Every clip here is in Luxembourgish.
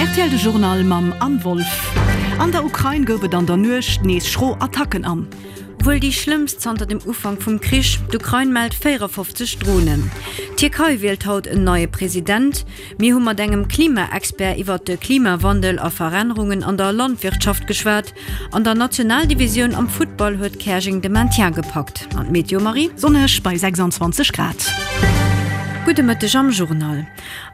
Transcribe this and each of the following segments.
Rtl De Journal mam Anne Wolff. An der Ukrain gouf et an der Nuecht nees schro Attacken an. Wuel déi schlëmmst zanter dem Ufank vum Krich, D'Ukrain mellt 54 Dronen. D'Tierkei wielt haut en neie President. Mir hu mat engem Klimaexpert iwwert de Klimawandel a Verännerungen an der Landwirtschaft geschwat. An der Nationaldivisioun am Futtball huet Käerjeng de Maintien gepackt. An d'Meteo, Marie? Sonneg bei 26 Grad. Gudde Mëtteg am Journal.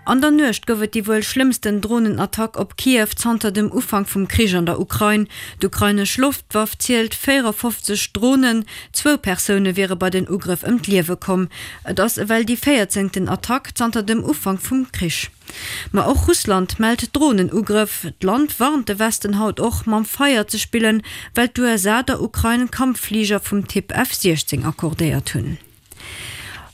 An der Nuecht gouf et déi wuel schlëmmsten Dronenattack op Kiew zanter dem Ufank vum Krich an der Ukrain. D'ukrainesch Loftwaff zielt 54 Dronen. Zwou Persoune wiere bei den Ugrëff ëm d'Liewe komm. Et ass ewell déi véierzéngten Attack zanter dem Ufank vum Krich. Ma och Russland mellt Dronenugrëff. D'Land warnt de Westen haut och, mam Feier ze spillen, well d'USA der Ukrain Kampffliger vum Typ F-16 accordéiert hunn.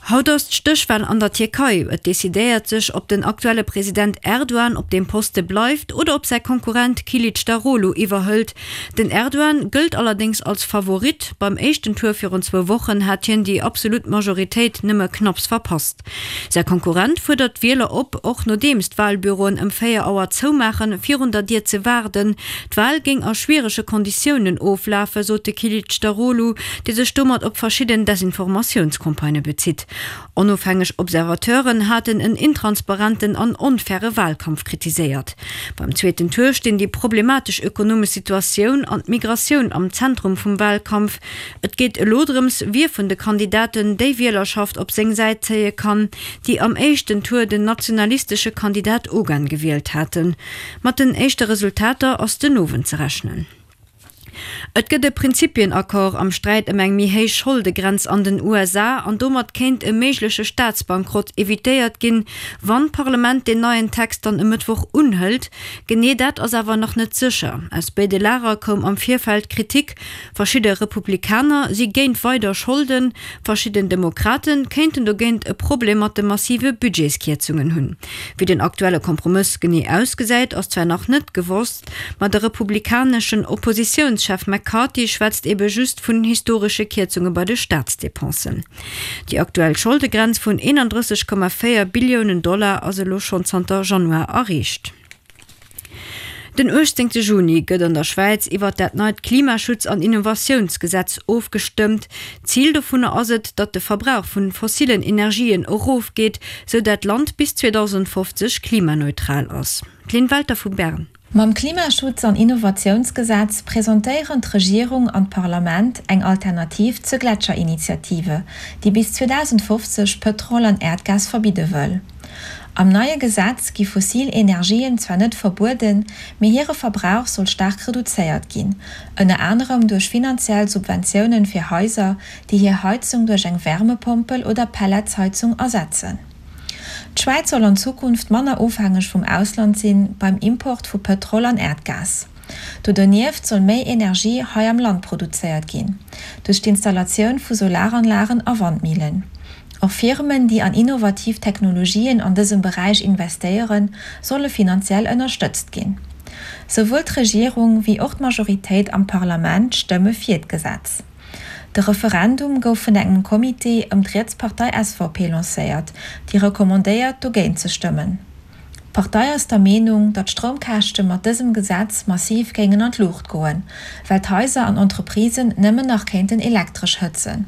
Haut ass d'Stéchwal an der Tierkei. Et decidéiert sech, ob den aktuelle President Erdogan op deem Poste bleift oder ob säi Konkurrent Kilicdaroglu iwwerhëlt. Den Erdogan gëllt allerdéngs als Favorit. Beim éischten Tour virun zwou Wochen hat hien déi absolut Majoritéit nëmme knapps verpasst. Säi Konkurrent fuerdert d'Wieler op, och nodeems d'Walbüroen ëm 4 Auer zoumaachen, virun der Dier ze waarden. D'Wal géing a schwierege Konditiounen oflafen, sot de Kilicdaroglu, dee sech domat op verschidden Desinformatiounscampagnë bezitt. Onofhängeg Observateuren haten en intransparenten an onfaire Walkampf kritiséiert. Beim zweeten Tour stinn déi problematesch ökonomesch Situatioun an d'Migratioun am Zentrum vum Walkampf. Et geet elo drëms, wie vun de Kandidaten déi Wielerschaft op seng Säit zéie kann, déi am éischten Tour den nationalistesche Kandidat Ogan gewielt haten. Mat den éischte Resultater ass den Owend ze rechnen. Et gëtt e Prinzipien-Accord am Sträit ëm eng méi héich Scholdegrenz an den USA an domat kéint e méigleche Staatsbankrott evitéiert ginn, wann d'Parlament deen neien Text dann e Mëttwoch unhëlt. Genee dat ass awer nach net sécher. Aus béide Lager koum am Virfeld Kritik. Verschidde Republikaner si géint weider Scholden, verschidden Demokrate kéinten dogéint e Problem mat de massive Budgetskierzungen hunn. Wéi den aktuelle Kompromëss genee ausgesäit, ass zwar nach net gewosst, ma de republikaneschen Oppositiounschef McCarthy schwätzt ebe just vun historesche Kierzunge bei de Staatsdepensen. Déi aktuell Scholdegrenz vun 31,4 Billiounen Dollar ass elo schonn zanter Januar erreecht. Den 18 Juni gëtt an der Schwäiz iwwert dat neit Klimaschutz an Innovatiounsgesetz ofgestëmmt. Zil dovunner ass et, datt de Verbrauch vun fossillen Energien erofgeet, sou dat d'Land bis 2050 klimaneutral ass. D'Lynn Welter vu Bern. Mam Klimaschutz an Innovatiounsgesetz presentéieren d'Regierung an d'Parlament eng Alternativ zur Gletscherinitiative, déi bis 2050 Pëtrol an Äerdgas verbidde wëll. Am neie Gesetz gi fossil Energien zwar net verbueden, mee hire Verbrauch soll staark reduzéiert ginn, ënner anerem duerch finanziell Subventiounen fir Haiser, déi hir Heizung duerch eng Wärmepompel oder Pelletsheizung ersetzen. D'Schwäiz soll an Zukunft manner ofhängeg vum Ausland sinn beim Import vu Pëtrol an Äerdgas. Do donieft soll méi Energie hei am Land produzéiert ginn, duerch d'Installatioun vu Solaranlagen a Wandmillen. Och Firmen, déi an innovativ Technologien an dësem Beräich investéieren, solle finanziell ënnerstëtzt ginn. Souwuel d'Regierung wéi och d'Majoritéit am Parlament stëmme fir d'Gesetz. De Referendum gouf vun engem Comité ëm d'Rietspartei SVP lancéiert, déi recommandéiert, dogéint ze stëmmen. D'Partei ass der Meenung, datt d'Stroumkäschte mat dësem Gesetz massiv géingen an d'Luucht goen, well d'Haiser an Entreprisen nëmmen nach kéinten elektresch hëtzen.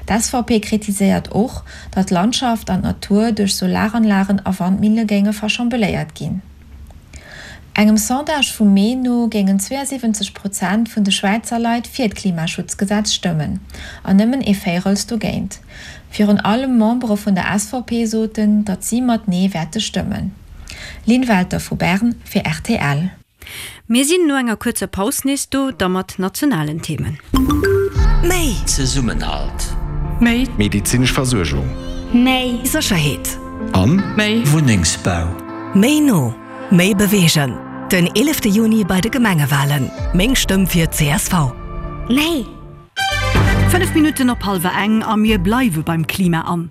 D'SVP kritiséiert och, datt d'Landschaft an d'Natur duerch Solaranlagen a Wandmille géinge verschambeléiert ginn. Engem Sondage vum Mee no géingen 72 Prozent vun de Schwäizer Leit fir d'Klimaschutzgesetz stëmmen an nëmmen ee Véirels dogéint. Virun allem Membere vun der SVP soten, datt si mat Nee wäerte stëmmen. Lynn Welter vu Bern fir rtl. Mir sinn no enger kuerzer Paus nees do, da mat nationalen Themen. Méi. Zesummenhalt. Méi. Medizinesch Versuergung. Méi. Sécherheet. An. Méi. Wunnengsbau. Méi no. Méi beweegen. Den 11 Juni bei de Gemengewalen. Meng Stëmm fir csv. Méi. 5 Minutten op hallwer eng a mir bleiwe beim Klima an.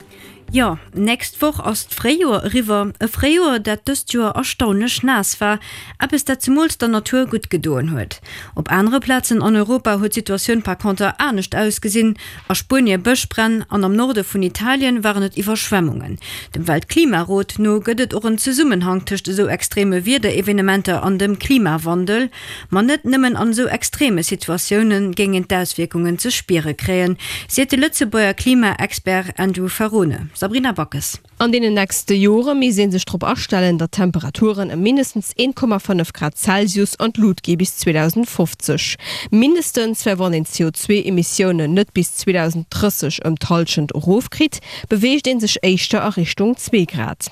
Jo, nächst Woch ass d'Fréijoer eriwwer. E Fréijoer, dat dëst Joer erstaunlech naass war. Eppes, dat zemools der Natur gutt gedoen huet. Op anere Plazen an Europa huet d'Situatioun par conter anescht ausgesinn. A Spuenie Bëschbränn an am Norde vun Italien waren et Iwwerschwemmungen. Dem Weltklimarot no gëtt et och en Zesummenhang tëscht esou extreme Wiederevenementer an dem Klimawandel. Ma net nëmmen an esou extreme Situatioune géing een d'Auswierkungen ze spiere kréien, seet de Lëtzebuerger Klima-Expert Andrew Ferrone. Sabrina Backes. An deenen nächste Jore misst ee sech drop astellen, datt d'Temperaturen ëm mindestens 1,5 Grad Celsius an d'Lut gi bis 2050. Mindestens, well wann een d'CO2-Emissiounen net bis 2030 ëm d'Hallschent erofkritt, beweegt ee sech éischter a Richtung zwee Grad.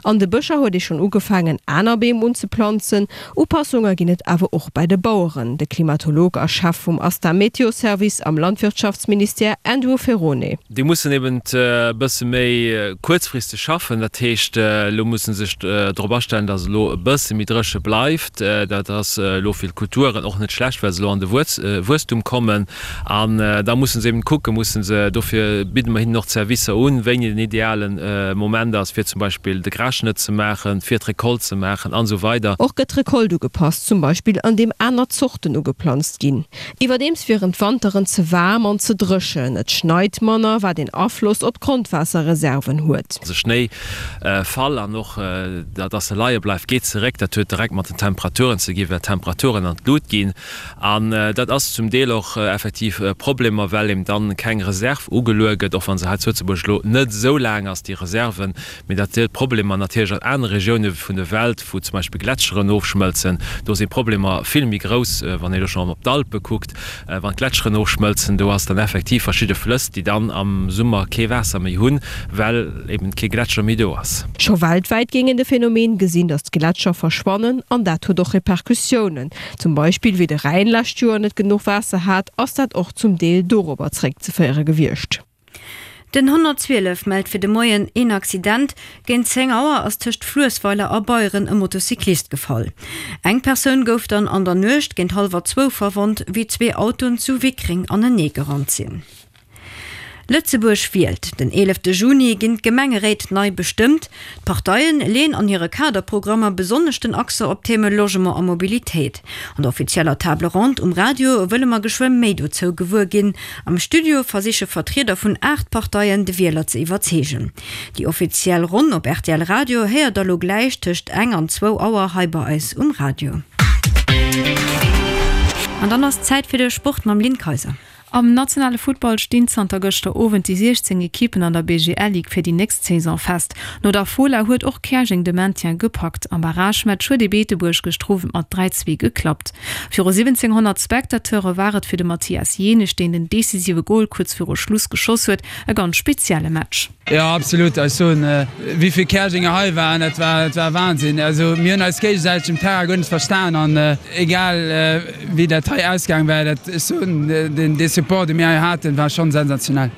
An de Bëscher huet ee schonn ugefaangen, aner Beem unzeplanzen. Upassunge ginn et awer och bei de Baueren. De Klimatolog a Chef vum ASTA Meteo Service am Landwirtschaftsministère Andrew Ferrone. Déi mussen eben e bësse méi kuerzfristeg schaffen. Dat heescht, elo musse se sech drop astellen, datt et elo e bësse méi dréche bleift. Dat ass elo fir d'Kulturen och net schlecht, well se elo an de Wuesstum kommen. An da musse se eben kucken, musse se, dofir bidde mer hinnen och d'Servicer un, wéini den ideale Moment ass, fir zum Beispill de Grasschnëtt ze maachen, fir d'Recolte ze maachen an esou weider. Och gëtt d'Recolte ugepasst, zum Beispill an deem aner Zorten ugeplanzt ginn. Iwwerdeems wieren d'Wanteren ze waarm an ze dréchen, et schneit manner, wat een Afloss op d'Grondwaasserreserven huet. De Schnéifall an och datt e leie bleift, geet zeréck. Dat huet direkt mat den Temperaturen ze gi, well d'Temperaturen an d'Lut ginn. An dat ass zum Deel och effektiv Problemer, well eben dann keng Reserv ugeluer gëtt, och wa se hei zu Lëtzebuerg elo net esou laang ass, déi Reserve. Mee dat huet Problemer natierlech an anere Regioune vun der Welt, wou zum Beispill Gletscheren ofschmëlzen. Do sinn d'Problemer vill méi grouss, wann een elo schonn op d'Alpe kuckt, wann d'Gletscheren ofschmëlzen, do ass dann effektiv verschidde Flëss, déi dann am Summer kee Waasser méi hunn, well eben kee Gletscher méi do ass. Scho weltwäit géing een de Phänomen gesinn, datt d'Gletscher verschwannen an dat huet och Repercussiounen. Zum Beispill wéi de Rhäin lescht Joer net genuch Waasser hat, ass dat och zum Deel dorobber zeréckzeféiere gewiescht. Den 112 mellt fir de Moien een Accident. Géint 10 Auer ass tëscht Fluessweiler a Beieren e Motocyclist gefall. Eng Persoun gouf dann an der Nuecht géint hallwer zwou verwonnt, wéi zwee Autoen zu Wickreng anenee gerannt sinn. Lëtzebuerg wielt. Den 11 Juni ginn d'Gemengeréit nei bestëmmt. D'Parteien leeën an hire Kaderprogrammer besonnesch den Accent op d'Theme Logement a Mobilitéit. An der offizieller Table Ronde um Radio wëlle mer geschwë méi dozou gewuer ginn. Am Studio versiche Vertrieder vun 8 Parteien de Wieler ze iwwerzeegen. Déi offiziell Ronn op rtl Radio héiert der lo gläich tëscht eng an zwou Auer hei bei eis um Radio. An dann ass Zäit fir de Sport mam Lynn Kayser. Am nationale Futtball stinn zanter gëschter Owend déi 16 Ekippen an der BGL-Ligue fir déi nächst Saison fest. No der Fola huet och Käerjeng de Maintien gepackt. Am Barragematch huet ee Beetebuerg gëschter Owend mat 3, 2 geklappt. Viru 1.700 Spectateure war et fir de Mathias Jenisch, deen den decisive Gol kuerz viru Schluss geschoss huet, e ganz spezielle Match. Jo absolut, ech soen wéivill Käerjenger hei waren, dat war dat war Wahnsinn. Also mir hunn eis géigesäiteg um Terrain guer net verstan an egal wéi dat hei ausgaang wär, dat ech soen den dee Support dee mir hei haten war schonn sensationell.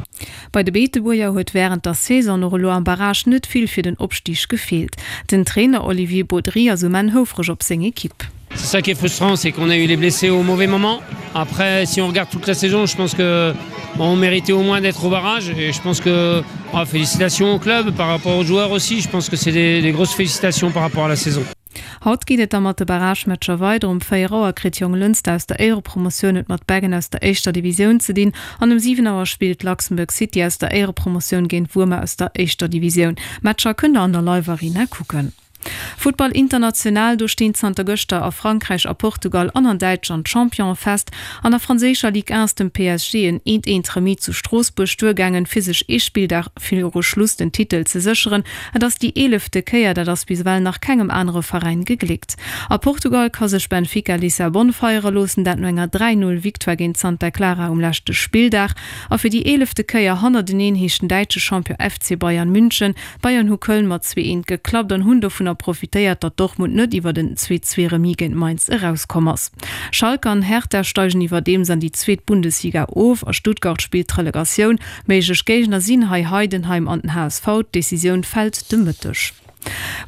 Bei de Beetebuerger huet wärend der Saison och elo am Barrage net vill fir den Opstig gefeelt. Den Trainer Olivier Bodry ass um Enn houfreg op seng Ekipp. C'est ça qui est frustrant, c'est qu'on a eu les blessés au mauvais moment. Après, si on regarde toute la saison, je pense que on méritait au moins d'être au barrage et je pense que oh, félicitations au club par rapport aux joueurs aussi, je pense que c'est des, des grosses félicitations par rapport à la saison. Haut geet et da mat de Barragematcher weider. Um 4 Auer kritt Jonglënster aus der Éierepromotioun et mat Beggen aus der éischter Divisioun ze dinn an um 7 Auer spillt Luxembourg City aus der Éierepromotioun géint Wuermer aus der éischter Divisioun. Matcher kënnt der an der Live Arena kucken. Futtball international, do stinn zanter gëschter a Frankräich, a Portugal an an Däitschland d'Champione fest. An der franséischer Ligue 1 ass dem PSG en eent-eent Remis zu Stroossbuerg duergaangen, fir sech ee Spilldag viru Schluss den Titel ze sécheren. Et ass déi eelefte Kéier, dat ass bis ewell nach kengem anere Veräin gegléckt. A Portugal ka sech Benfica Lissabon feiere loossen, dat no enger 3, 0 Victoire géint Santa Clara um leschte Spilldag. A fir déi eelefte Kéier hannerteneen heescht den däitsche Champion FC Bayern München D'Bayern hu Köln mat 2, 1 geklappt an hunn dovunner profitéiert, datt Dortmund net iwwert en 2, 2 Remis géint Mainz erauskomm ass. Schalke an Hertha steigen iwwerdeems an déi zweet Bundesliga of a Stuttgart spillt d'Relegatioun. Méiglech Géigner sinn hei Heidenheim an den HSV. D'Decisioun fält de Mëtteg.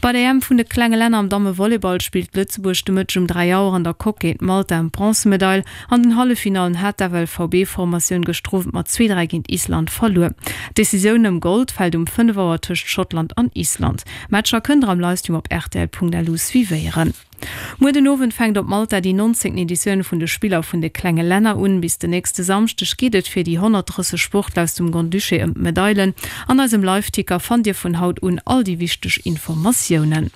Bei der EM vun de klenge Länner am Dammevolleyball spillt Lëtzebuerg de Mëtteg um 3 Auer an der Coque géint Malta ëm d'Bronzemedail. An den Halleffinallen hat d'FLVB-Formatioun gëschter Owend mat 2, 3 géint Island verluer. D'Decisioun ëm Gold fält um 5 Auer tëscht Schottland an Island. D'Matcher kënnt der am Livestream op rtl.lu suivéieren. Muer den Owend fänkt op Malta déi 19. Editioun vun de Spiller vun de klenge Länner un. Bis den nächste Samschdeg geet et fir déi 130 Sportler aus dem Grand-Duché ëm d'Medailen. An eisem Liveticker fannt Dir vun haut un all déi wichteg Informatiounen.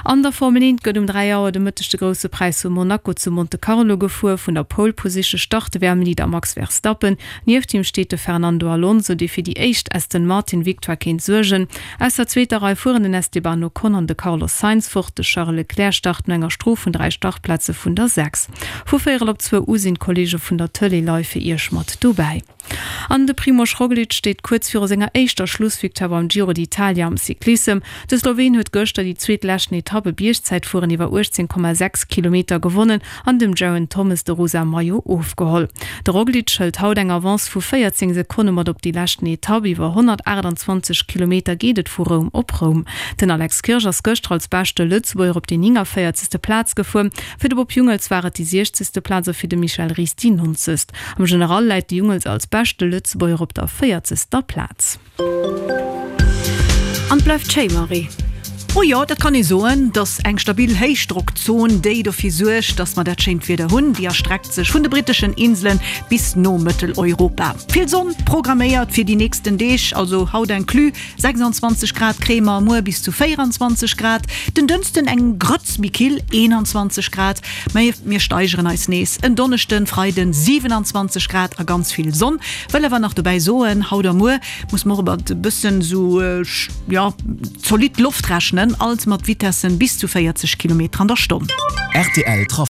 An der Formel 1 gëtt um 3 Auer de Mëtteg de Grousse Präis vu Monaco zu Monte Carlo gefuer. Vun der Pole Position start de WM-Leader Max Verstappen. Nieft him steet de Fernando Alonso, dee fir déi éischt Aston Martin-Victoire kéint suergen. Aus der zweeter Rei fueren den Esteban Ocon an de Carlos Sainz fort. De Charles Leclerc start no enger Strof vun 3 Startplaze vun der 6. Vu véierel op zwou u sinn d'Kolleege vun der Tëlee live fir Iech mat dobäi. An de Primož Roglič steet kuerz viru senger éischter Schlussvictoire beim Giro d'Italia am Cyclissem. De Sloween huet gëschter déi zweet leschten Etapp, e Biergzäitfueren iwwer 18,6 Kilometer, gewonnen an dem Geraint Thomas de rosa Maillot ofgeholl. De Roglic hëlt haut eng Avance vu 14 Sekonne mat op déi leschten Etapp. Iwwer 128 Kilometer geet et vu Roum op Roum. Den Alex Kirsch ass gëschter als beschte Lëtzebuerger op déi 49. Plaz gefuer. Fir de Bob Jungels war et déi 60. Plaz a fir de Michel Ries déi 90. Am General läit de Jungels als beschte Lëtzebuerger op der 40. Plaz. An 't bleift schéi, Marie. Oh jo, dat kann ee soen. Dass eng stabil Héichdrockzon, déi dofir suergt, dass mer dat schéint Wieder hunn, déi erstreckt sech vun de britteschen Inselen bis no Mëtteleuropa. Vill Sonn programméiert fir déi nächsten Deeg, also haut inclus 26 Grad kréie mer, muer bis zu 24 Grad, den Dënschden eng Grëtz méi kill, 21 Grad. Mä mir steigeren eis nees, en Donneschden, Freiden 27 Grad a ganz vill Sonn. Wëll awer nach dobäi soen, haut a muer muss mer och mat e bëssen sou, jo, zolidd Loft rechnen, alt mat Vitessen bis zu 40 Kilometer an der Stonn. Rtl Trafic.